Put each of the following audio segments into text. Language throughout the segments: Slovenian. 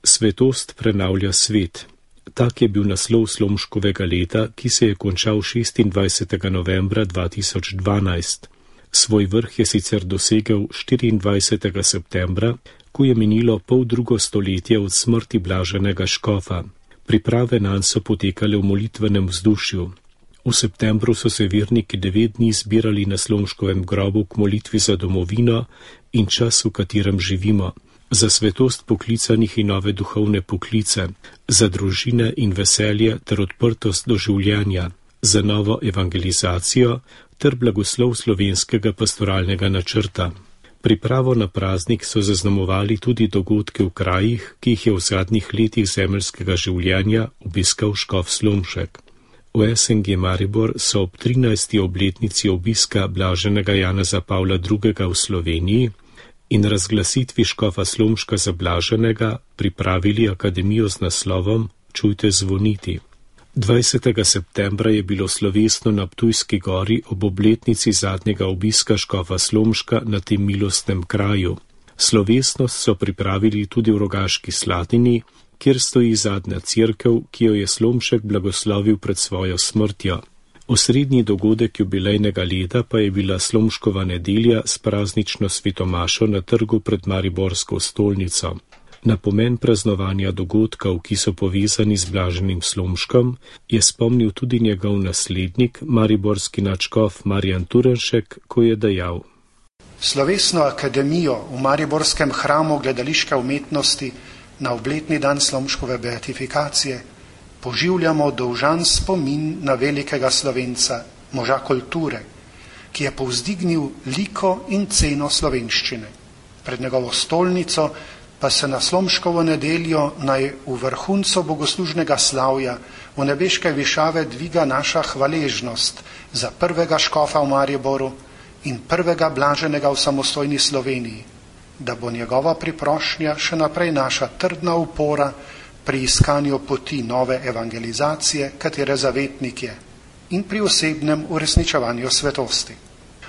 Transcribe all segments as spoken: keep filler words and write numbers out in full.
Svetost prenavlja svet. Tak je bil naslov Slomškovega leta, ki se je končal šestindvajsetega novembra dva tisoč dvanajst. Svoj vrh je sicer dosegel štiriindvajsetega septembra, ko je minilo pol drugo stoletje od smrti blaženega škofa. Priprave nanj so potekale v molitvenem vzdušju. V septembru so se verniki devet dni zbirali na Slomškovem grobu k molitvi za domovino in čas, v katerem živimo, za svetost poklicanih in nove duhovne poklice, za družine in veselje ter odprtost do življenja, za novo evangelizacijo ter blagoslov slovenskega pastoralnega načrta. Pripravo na praznik so zaznamovali tudi dogodke v krajih, ki jih je v zadnjih letih zemeljskega življenja obiskal škof Slomšek. V S N G Maribor so ob trinajsti obletnici obiska blaženega Janeza Pavla drugega v Sloveniji in razglasitvi škofa Slomška za blaženega pripravili akademijo z naslovom Čujte zvoniti. dvajsetega septembra je bilo slovesno na Ptujski gori ob obletnici zadnjega obiska škofa Slomška na tem milostnem kraju. Slovesnost so pripravili tudi v Rogaški Slatini, kjer stoji zadnja cerkev, ki jo je Slomšek blagoslovil pred svojo smrtjo. Osrednji dogodek jubilejnega leta pa je bila Slomškova nedelja s praznično svetomašo na trgu pred Mariborsko stolnico. Na pomen praznovanja dogodkov, ki so povezani z blaženim Slomškom, je spomnil tudi njegov naslednik, mariborski nadškof Marjan Turnšek, ko je dejal: Slovesno akademijo v mariborskem hramu gledališke umetnosti na obletni dan Slomškove beatifikacije poživljamo dolžan spomin na velikega Slovenca, moža kulture, ki je povzdignil liko in ceno slovenščine. Pred njegovo stolnico pa se na Slomškovo nedeljo naj v vrhuncu bogoslužnega slavja v nebeške višave dviga naša hvaležnost za prvega škofa v Mariboru in prvega blaženega v samostojni Sloveniji, da bo njegova priprošnja še naprej naša trdna upora pri iskanju poti nove evangelizacije, katere zavetnik je, in pri osebnem uresničevanju svetosti.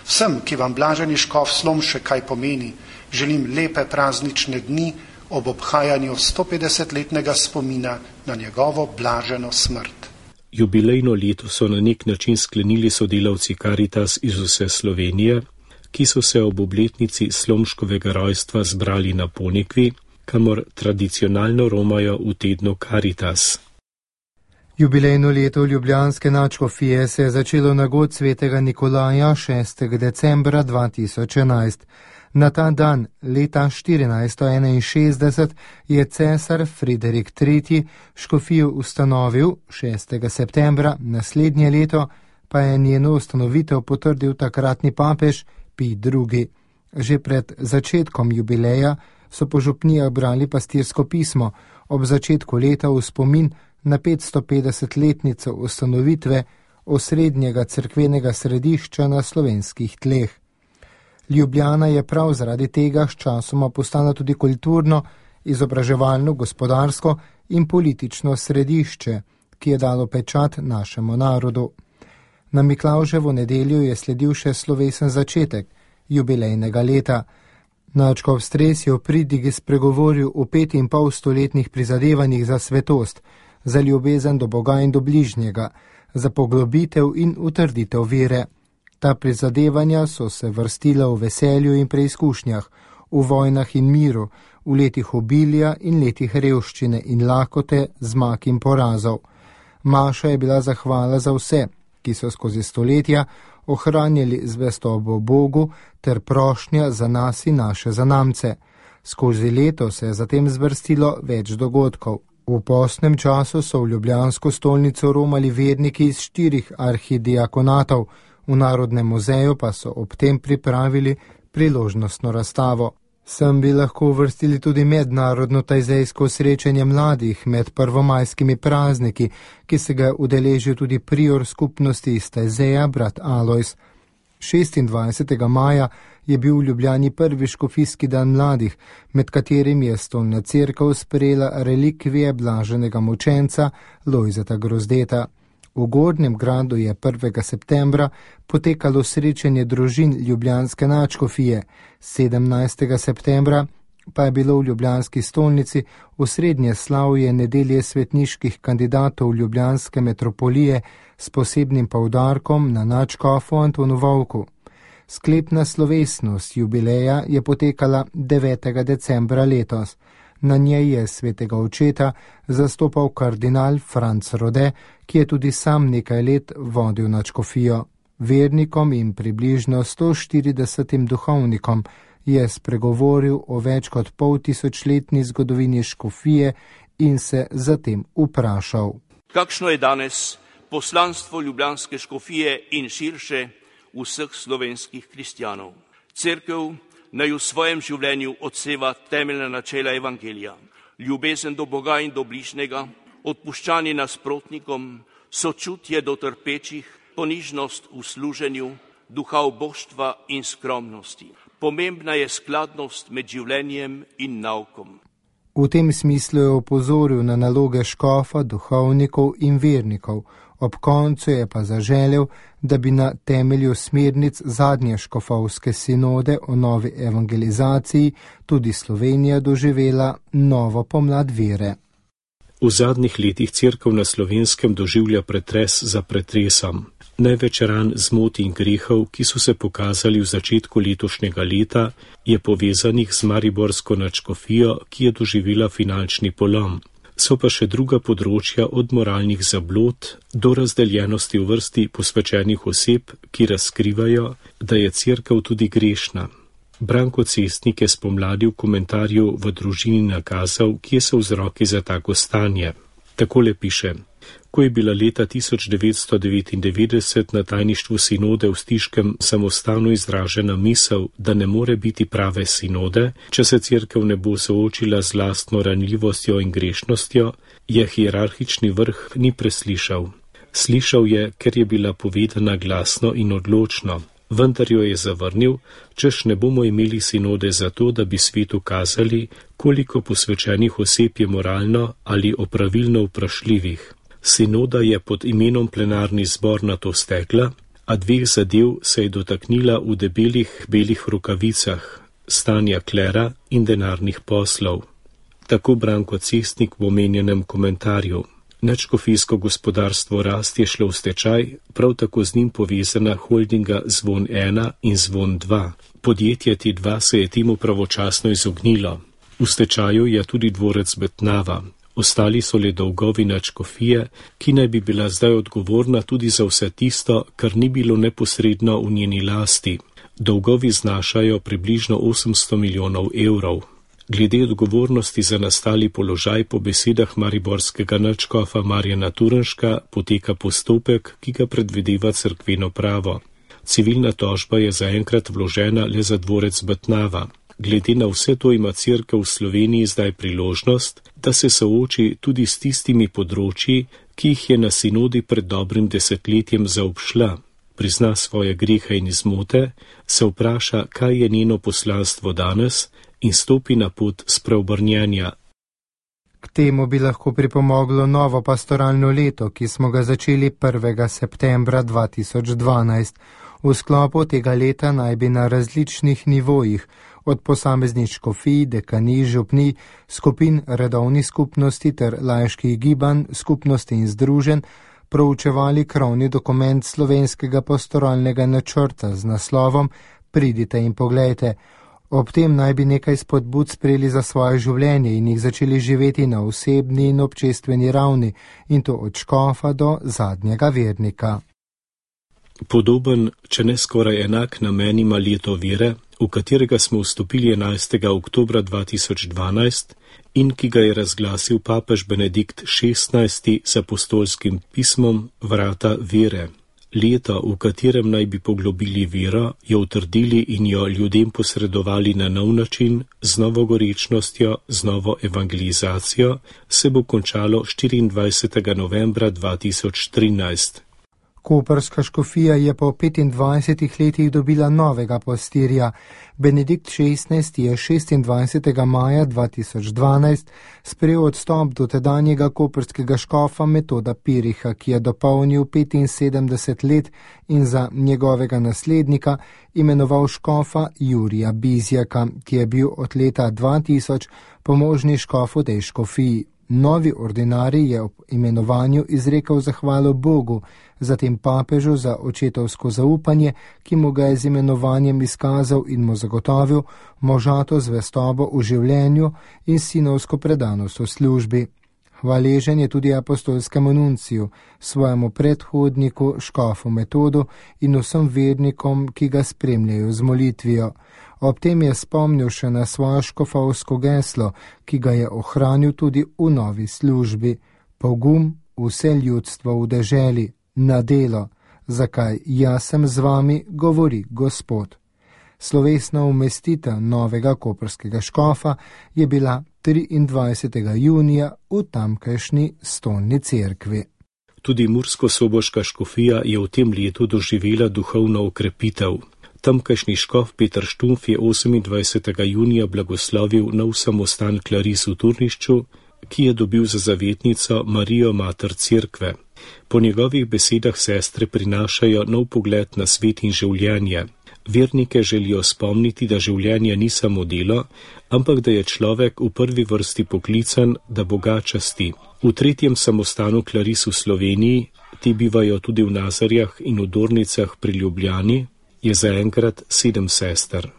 Vsem, ki vam blaženi škof Slomšek kaj pomeni, želim lepe praznične dni ob obhajanju stopetdesetletnega spomina na njegovo blaženo smrt. Jubilejno leto so na nek način sklenili sodelavci Karitas iz vse Slovenije, ki so se ob obletnici Slomškovega rojstva zbrali na Ponikvi, kamor tradicionalno romajo v tednu Karitas. Jubilejno leto ljubljanske nadškofije se je začelo na god svetega Nikolaja šestega decembra dva tisoč enajst. Na ta dan, leta štirinajststo enainšestdeset, je cesar Friderik tretji škofijo ustanovil, šestega septembra naslednje leto pa je njeno ustanovitev potrdil takratni papež Pij drugi. Že pred začetkom jubileja so po župnijah brali pastirsko pismo ob začetku leta v spomin na petstopetdesetletnico ustanovitve osrednjega cerkvenega središča na slovenskih tleh. Ljubljana je prav zaradi tega sčasoma postala tudi kulturno, izobraževalno, gospodarsko in politično središče, ki je dalo pečat našemu narodu. Na Miklavževo nedeljo je sledil še slovesen začetek jubilejnega leta. Nadškof Stres je v pridigi spregovoril o pet in pol stoletnih prizadevanjih za svetost, za ljubezen do Boga in do bližnjega, za poglobitev in utrditev vere. Ta prizadevanja so se vrstila v veselju in preizkušnjah, v vojnah in miru, v letih obilja in letih revščine in lakote, zmag in porazov. Maša je bila zahvala za vse, ki so skozi stoletja ohranjali zvestobo Bogu ter prošnja za nas in naše zanamce. Skozi leto se je zatem zvrstilo več dogodkov. V postnem času so v ljubljansko stolnico romali verniki iz štirih arhidiakonatov, v Narodnem muzeju pa so ob tem pripravili priložnostno razstavo. Sem bi lahko uvrstili tudi mednarodno tajzejsko srečanje mladih med prvomajskimi prazniki, ki se ga udeležil tudi prior skupnosti iz Tajzeja, brat Alojz. šestindvajsetega maja je bil v Ljubljani prvi škofijski dan mladih, med katerim je stolna cerkev sprejela relikvije blaženega mučenca Lojzeta Grozdeta. V Gornjem gradu je prvega septembra potekalo srečanje družin ljubljanske nadškofije, sedemnajstega septembra pa je bilo v ljubljanski stolnici osrednje slavje nedelje svetniških kandidatov ljubljanske metropolije s posebnim poudarkom na nadškofu Antonu Vovku. Sklepna slovesnost jubileja je potekala devetega decembra letos. Na njej je svetega očeta zastopal kardinal Franc Rode, ki je tudi sam nekaj let vodil nadškofijo. Vernikom in približno sto štiridesetim duhovnikom je spregovoril o več kot pol tisočletni zgodovini škofije in se zatem vprašal. Kakšno je danes poslanstvo ljubljanske škofije in širše vseh slovenskih kristjanov? Cerkev naj v svojem življenju odseva temeljna načela evangelija, ljubezen do Boga in do bližnjega, odpuščanje nasprotnikom, sočutje do trpečih, ponižnost v služenju, duha oboštva in skromnosti. Pomembna je skladnost med življenjem in naukom. V tem smislu je opozoril na naloge škofa, duhovnikov in vernikov. Ob koncu je pa zaželel, da bi na temelju smernic zadnje škofovske sinode o novi evangelizaciji tudi Slovenija doživela novo pomlad vere. V zadnjih letih cerkev na Slovenskem doživlja pretres za pretresom. Največ ran, zmot in grehov, ki so se pokazali v začetku letošnjega leta, je povezanih z mariborsko nadškofijo, ki je doživela finančni polom. So pa še druga področja od moralnih zablod do razdeljenosti v vrsti posvečenih oseb, ki razkrivajo, da je cerkev tudi grešna. Branko Cestnik je spomladi v komentarju v družini nakazal, kje so vzroki za tako stanje. Takole piše: Ko je bila leta tisoč devetsto devetindevetdeset na tajništvu sinode v Stiškem samostalno izražena misel, da ne more biti prave sinode, če se cerkev ne bo soočila z lastno ranljivostjo in grešnostjo, je hierarhični vrh ni preslišal. Slišal je, ker je bila povedana glasno in odločno, vendar jo je zavrnil, češ ne bomo imeli sinode zato, da bi svetu kazali, koliko posvečenih oseb je moralno ali opravilno vprašljivih. Sinoda je pod imenom plenarni zbor na to stekla, a dveh zadev se je dotaknila v debelih belih rokavicah, stanja klera in denarnih poslov. Tako Branko Cestnik v omenjenem komentarju. Nadškofijsko gospodarstvo Rast je šlo v stečaj, prav tako z njim povezana holdinga Zvon ena in Zvon dva. Podjetje T dva se je temu pravočasno izognilo. V stečaju je tudi dvorec Betnava. Ostali so le dolgovi nadškofije, ki naj bi bila zdaj odgovorna tudi za vse tisto, kar ni bilo neposredno v njeni lasti. Dolgovi znašajo približno osemsto milijonov evrov. Glede odgovornosti za nastali položaj po besedah mariborskega nadškofa Marjana Turnška poteka postopek, ki ga predvideva cerkveno pravo. Civilna tožba je zaenkrat vložena le za dvorec Betnava. Glede na vse to ima cerkev v Sloveniji zdaj priložnost, da se sooči tudi s tistimi področji, ki jih je na sinodi pred dobrim desetletjem zaobšla, prizna svoje grehe in izmote, se vpraša, kaj je njeno poslanstvo danes in stopi na pot spreobrnjenja. K temu bi lahko pripomoglo novo pastoralno leto, ki smo ga začeli prvega septembra dva tisoč dvanajst. V sklopu tega leta naj bi na različnih nivojih, od posameznih škofij, dekanij, župnij, skupin redovnih skupnosti ter laiških gibanj, skupnosti in združenj, proučevali krovni dokument slovenskega pastoralnega načrta z naslovom Pridite in poglejte. Ob tem naj bi nekaj spodbud sprejeli za svoje življenje in jih začeli živeti na osebni in občestveni ravni, in to od škofa do zadnjega vernika. Podoben, če ne skoraj enak namen ima leto vere, v katerega smo vstopili enajstega oktobra dva tisoč dvanajst in ki ga je razglasil papež Benedikt šestnajsti z apostolskim pismom Vrata vere. Leto, v katerem naj bi poglobili vero, jo utrdili in jo ljudem posredovali na nov način, z novo gorečnostjo, z novo evangelizacijo, se bo končalo štiriindvajsetega novembra dva tisoč trinajst. Koprska škofija je po petindvajsetih letih dobila novega pastirja. Benedikt šestnajsti je šestindvajsetega maja dva tisoč dvanajst sprejel odstop dotedanjega koprskega škofa Metoda Piriha, ki je dopolnil petinsedemdeset let in za njegovega naslednika imenoval škofa Jurija Bizjaka, ki je bil od leta dva tisoč pomožni škof v tej škofiji. Novi ordinarij je ob imenovanju izrekel zahvalo Bogu, zatem papežu za očetovsko zaupanje, ki mu ga je z imenovanjem izkazal in mu zagotovil možato zvestobo v življenju in sinovsko predanost v službi. Hvaležen je tudi apostolskemu nunciju, svojemu predhodniku, škofu Metodu in vsem vernikom, ki ga spremljajo z molitvijo. Ob tem je spomnil še na svojo škofovsko geslo, ki ga je ohranil tudi v novi službi. Pogum vse ljudstvo v deželi, na delo, zakaj jaz sem z vami, govori Gospod. Slovesna umestitev novega koprskega škofa je bila triindvajsetega junija v tamkajšnji stolni cerkvi. Tudi mursko-soboška škofija je v tem letu doživela duhovno okrepitev. Tamkajšnji škof Peter Štumf je osemindvajsetega junija blagoslovil nov samostan Klaris v Turnišču, ki je dobil za zavetnico Marijo mater cerkve. Po njegovih besedah sestre prinašajo nov pogled na svet in življenje. Vernike želijo spomniti, da življenje ni samo delo, ampak da je človek v prvi vrsti poklican, da Boga časti. V tretjem samostanu Klaris v Sloveniji, ti bivajo tudi v Nazarjah in v Dornicah pri Ljubljani, je zaenkrat sedem sester.